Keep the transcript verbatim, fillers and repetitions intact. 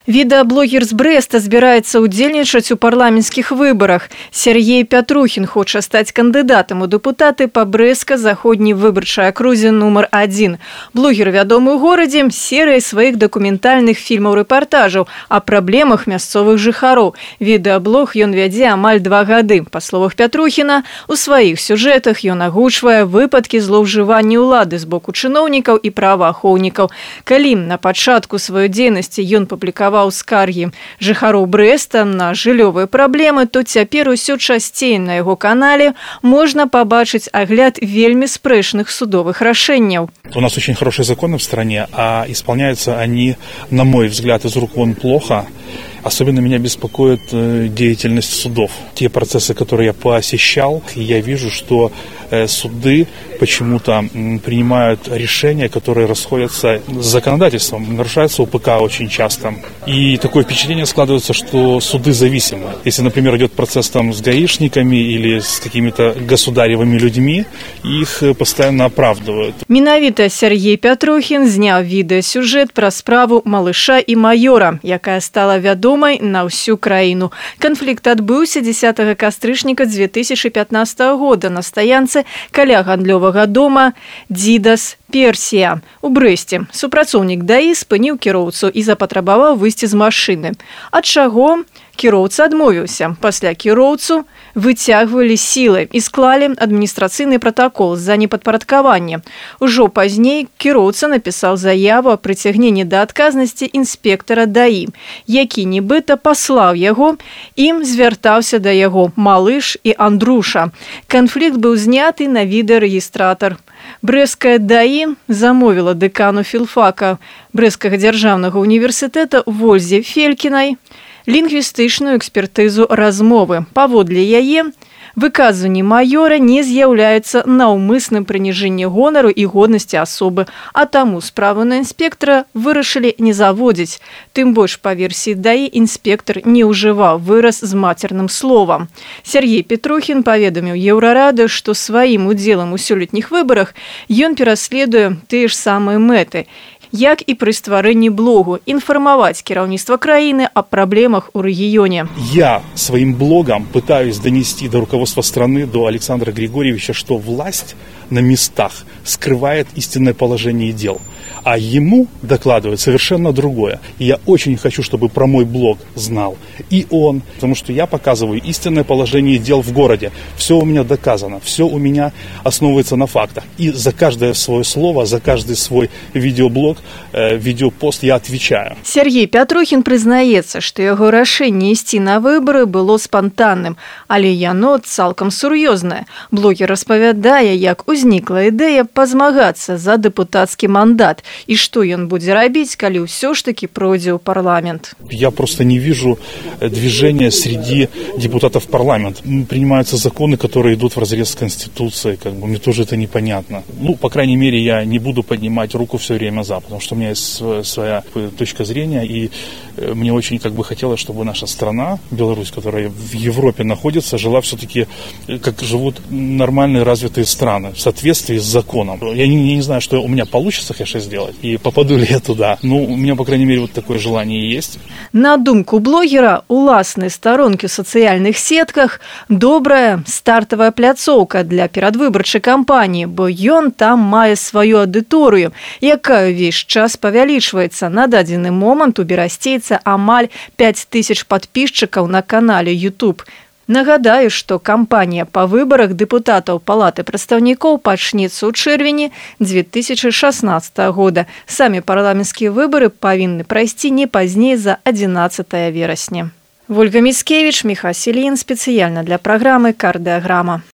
Відэаблогер з Брэста збіраецца ўдзельнічаць у парламенцкіх выбарах. Сергей Пятрухін хоча стаць кандыдатам у дэпутаты па Брэска-заходняй выбарчай акрузе нумар адзін. Блогер вядомы ў горадзе серыяй сваіх дакументальных фільмаў-рэпартажаў о праблемах мясцовых жыхароў. Відэаблог ён вядзе амаль два гады. Па словах Пятрухіна, у сваіх сюжэтах ён агучвае выпадкі злоўжывання ўлады з боку чыноўнікаў і праваахоўнікаў. Калі на пачатку сваёй дзейнасці ён публікаваў скаргі жыхароў Брэста на жыллёвыя праблемы, то цяпер усё часцей на яго канале можна пабачыць агляд вельмі спрэчных судовых рашэнняў. У нас очень хорошие законы в стране, а исполняются они, на мой взгляд, из рук вон плохо. Особенно меня беспокоит деятельность судов. Те процессы, которые я посещал, я вижу, что суды почему-то принимают решения, которые расходятся с законодательством, нарушаются УПК очень часто. И такое впечатление складывается, что суды зависимы. Если, например, идет процесс там с гаишниками или с какими-то государевыми людьми, их постоянно оправдывают. Менавіта Сергей Пятрухін зняў відэасюжэт пра справу малыша і маёра, якая стала вядомай на ўсю краіну. Канфлікт адбыўся дзесятага кастрычніка дзве тысячы пятнаццатага года на стаянцы каля гандлёвага дома «Дзідас Персія» у Брэсце. Супрацоўнік ДАІ спыніў кіроўцу і запатрабаваў выйсці з машыны. Ад чаго кіроўца адмовіўся. Пасля кіроўцу выцягвалі сілы і склалі адміністрацыйны пратакол за непадпарадкаванне. Ужо пазней кіроўца напісаў заяву о прыцягненні да адказнасці інспектара ДАІ, які нібыта паслаў яго, ім звяртаўся да яго малыш і Андруша. Канфлікт быў зняты на відэарэгістратар. Брэсцкая ДАІ замовіла дэкану філфака Брэсцкага дзяржаўнага універсітэта Вользе Фелькінай лінгвістычную экспертызу размовы. Паводле яе, выказванні маёра не з'яўляецца наўмысным прыніжэннем гонару і годнасці асобы, а таму справу на інспектара вырашылі не заводзіць. Тым больш, па версіі ДАІ, інспектар не ўжываў выраз з мацерным словам. Сергей Пятрухін паведаміў Еўрарады, што сваім удзелам у сёлетніх выбарах ён пераследуе тыя ж самыя мэты, як і пры стварэнні блогу, інфармаваць кіраўніцтва краіны о праблемах у рэгіёне. Я своим блогом пытаюсь донести до руководства страны, до Александра Григорьевича, что власть на местах скрывает истинное положение дел, а ему докладывают совершенно другое. И я очень хочу, чтобы про мой блог знал и он, потому что я показываю истинное положение дел в городе. Все у меня доказано, все у меня основывается на фактах. И за каждое свое слово, за каждый свой видеоблог, э, видеопост я отвечаю. Сергей Пятрухін прызнаецца, што яго рашэнне ісці на выборы было спантанным, але яно цалкам сур'ёзнае. Блогер распавядае, як узнікла ідэя пазмагацца за дэпутацкі мандат і што ён будзе рабіць, калі ўсё ж таки пройдзе ў парламент. Я просто не вижу движения среди депутатов в парламент. Принимаются законы, которые идут вразрез с Конституцией. Как бы, мне тоже это непонятно. Ну, по крайней мере, я не буду поднимать руку все время за, потому что у меня есть своя точка зрения, и мне очень как бы хотелось, чтобы наша страна, Беларусь, которая в Европе находится, жила все-таки, как живут нормальные развитые страны, в соответствии с законом. Я не, я не знаю, что у меня получится, конечно, сделать, и попаду ли я туда. Ну, у меня, по крайней мере, вот такое желание есть. На думку блогера, уласныя старонкі ў сацыяльных сетках добрая стартавая пляцоўка для перадвыбарчай кампаніі, бо ён там мае сваю аўдыторыю, якая ўвесь час павялічваецца. На дадзены момант у берасцейца амаль пяць тысяч падпісчыкаў на канале YouTube. Нагадаю, што кампанія па выбарах дэпутатаў Палаты прадстаўнікоў пачнецца ў чэрвені дзве тысячы шаснаццатага года. Самі парламенцкія выбары павінны прайсці не пазней за адзінаццатае верасня. Вольга Міцкевіч, Міхась Ільін, спецыяльна для праграмы «Кардыаграма».